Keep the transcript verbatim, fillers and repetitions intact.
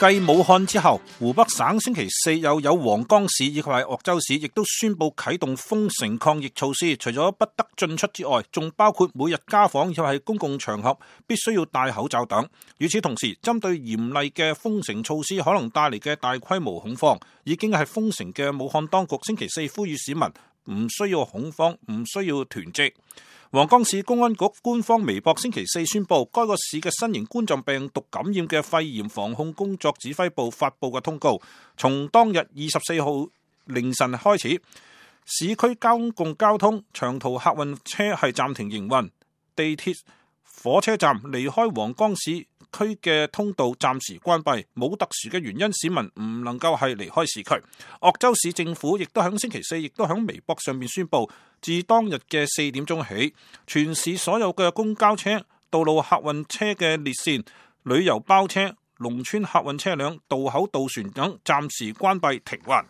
繼武漢之後，湖北省星期四又有黃岡市以及係鄂州市亦都宣布啟動封城抗疫措施，除咗不得進出之外，仲包括每日家訪以及係公共場合必須要戴口罩等。與此同時，針對嚴厲嘅封城措施可能帶嚟嘅大規模恐慌，已經係封城嘅武漢當局星期四呼籲市民唔需要恐慌，唔需要囤積。黃岡市公安局官方微博星期四宣布，該個市嘅新型冠狀病毒感染嘅肺炎防控工作指揮部發佈嘅通告，從當日二十四號凌晨開始，市區公共交通、長途客運車係暫停營運，地鐵、火車站離開黃岡市區嘅通道暫時關閉，冇特殊嘅原因，市民唔能夠係離開市區。鄂州市政府亦都喺星期四，亦都喺微博上面宣布，自當日嘅四點鐘起，全市所有嘅公交車、道路客運車嘅列線、旅遊包車、農村客運車輛、渡口渡船等暫時關閉停運。